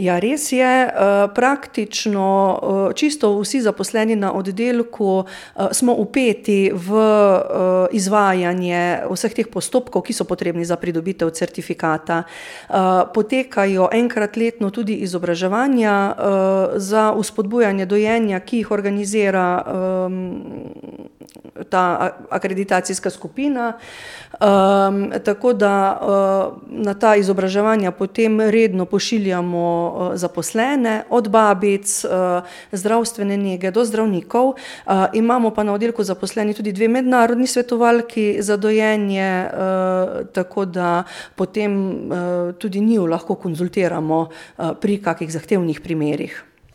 Ja, res je. Praktično čisto vsi zaposleni na oddelku smo vpeti v izvajanje vseh teh postopkov, ki so potrebni za pridobitev certifikata. Potekajo enkrat letno tudi izobraževanja za vzpodbujanje dojenja, ki jih organizira ta akreditacijska skupina. Tako da na ta izobraževanja potem redno pošiljamo zaposlene, od babic, zdravstvene nege do zdravnikov. Imamo pa na oddelku zaposleni tudi 2 mednarodni svetovalki za dojenje, tako da potem tudi njiju lahko konzultiramo pri kakih zahtevnih primerih.